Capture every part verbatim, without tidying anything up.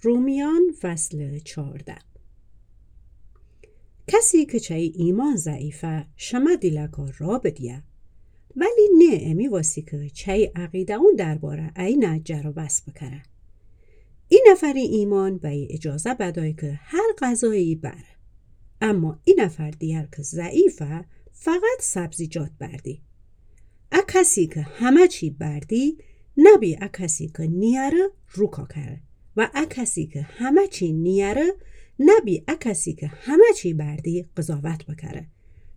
رومیان فصل چارده. کسی که چه ای ایمان ضعیفه، شمه دیلکا را بدیه. ولی نه امی واسی که چه ای عقیده‌اون درباره اینه جر و بحث بکره. ای نفری ایمان به ای اجازه بدای که هر غذایی بره. اما ای نفر دیگر که ضعیفه، فقط سبزیجات بردی. ا کسی که همه چی بردی، نبی ا کسی که نیاره روکا کره. و ا کسی که همه چی نیاره، نبی ا کسی که همه چی بردی قضاوت بکره.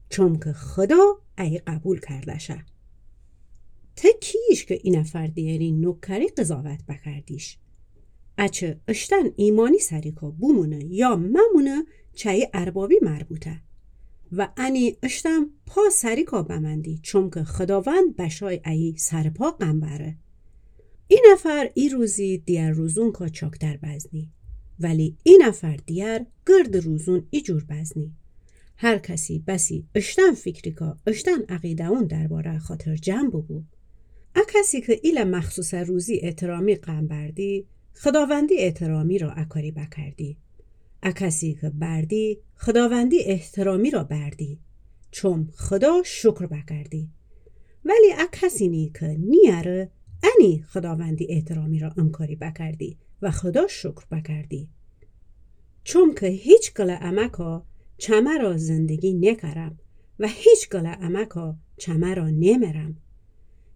چون که خدا ای قبول کرده شه. ته کیش که ای نفر دیگری نوکری قضاوت بکردیش؟ اچه اشتن ایمانی سریکا بومونه یا ممونه، چه ای اربابی مربوطه. و انی اشتن پا سریکا بمندی، چون که خداوند بشای ای سرپا قنبره. ای نفر ای روزی دیگر روزونکا چاکتر بزنی، ولی ای نفر دیگر گرد روزون ای جور بزنی. هر کسی بسی اشتن فکریکا اشتن عقیده‌اون درباره خاطر جمع ببو. ا کسی که ایله مخصوص روزی احترامی قنبردی، خداوندی احترامی را اکاری بکردی. ا کسی که بردی، خداوندی احترامی را بردی، چون خدا شکر بکردی. ولی ا کسی نی که نیاره، انی خداوندی احترامی را انکاری بکردی و خدا شکر بکردی. چون که هیچ گله امکا چمه را زندگی نکرم و هیچ گله امکا چمه را نمرم.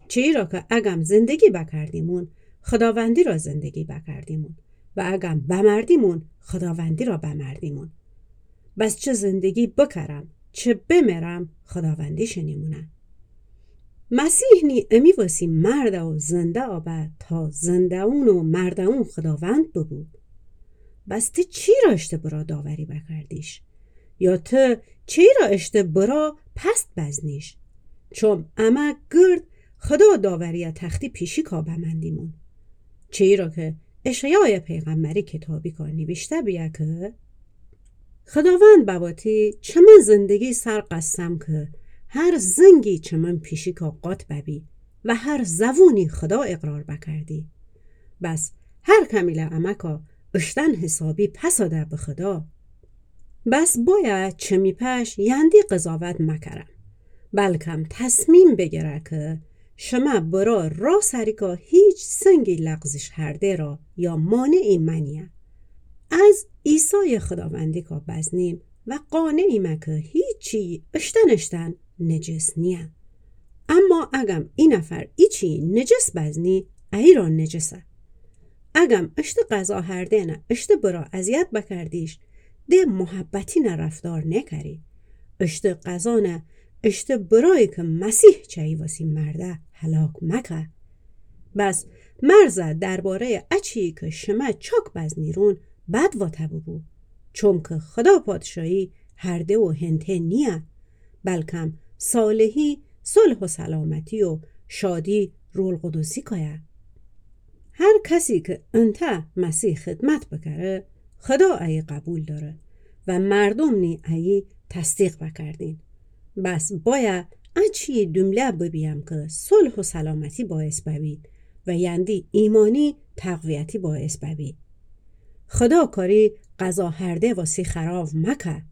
چیرا که اگم زندگی بکردیمون، خداوندی را زندگی بکردیمون و اگم بمردیمون، خداوندی را بمردیمون. بس چه زندگی بکرم، چه بمرم، خداوندی شنیمونه. مسیح نی امی واسی مرده و زنده آبه تا زنده‌اون و مرده‌اون خداوند ببو. بس ته چیرا اشته برا داوری بکردیش؟ یا ته چیرا اشته برا پست بزنیش؟ چون امه گرد خدا داوری تختی پیشیکا بمندیمون. چیرا که اشعیای پیغمبری کتابیکا نیویشته بیه که خداوند بواتی چمن زندگی سر قسم که هر زنگی چمن پیشیکا قات ببی و هر زوونی خدا اقرار بکردی. بس هر کمیله امکا اشتن حسابی پساده به خدا. بس بایه چمی پش یندی قضاوت مکره، بلکم تصمیم بگره که شمه برا را سریکا هیچ سنگی لغزش هرده را یا مانعی منیه. از عیسای خداوندیکا بزنیم و قانعیمه که هیچی اشتن اشتن نجس نیه. اما اگم ای نفر ایچی نجس بزنی، ای را نجسه. اگم اشته غذا هرده‌نه اشته برا اذیت بکردیش، ده محبتینه رفتار نکری. اشته غذانه اشته برایی که مسیح چه ای واسی مرده هلاک مکه. بس مرزه درباره‌ی اچی که شمه چاک بزنیرون بد واته ببو. چون که خدا پادشاهی هرده و هنته نیه، بلکم صالحی، صلح و سلامتی و شادی روح القدسیکایه. هر کسی که انته مسیح خدمت بکره، خدا ای قبول داره و مردم نی ای تصدیق بکردین. بس بایه اچی دومله ببیم که صلح و سلامتی باعث ببی و یندی ایمانی تقویتی باعث ببی. خدا کاری غذا هرده واسی خراب مکه.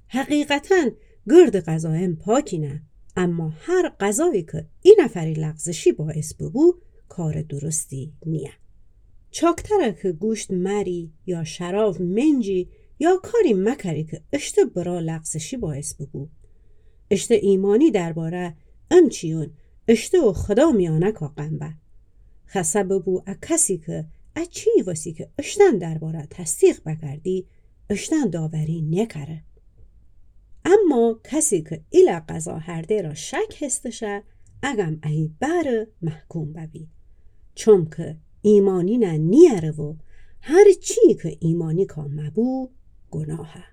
حقیقتاً گرد غذایم پاکینه، اما هر غذایی که ای نفری لغزشی باعث ببو، کار درستی نیه. چاکتره که گوشت مری یا شراب منجی یا کاری مکری که اشته برا لغزشی باعث ببو. اشته ایمانی درباره امچیون اشته و خدا میانکا قنبه. خسه ببو ا کسی که اچی واسی که اشتن درباره تصدیق بکردی، اشتن داوری نکره. اما کسی که ایله غذا هرده را شک هستشه، اگم ای بره محکوم ببی. چون که ایمانینه نیاره و هر چی که ایمانیکا مبو، گناهه.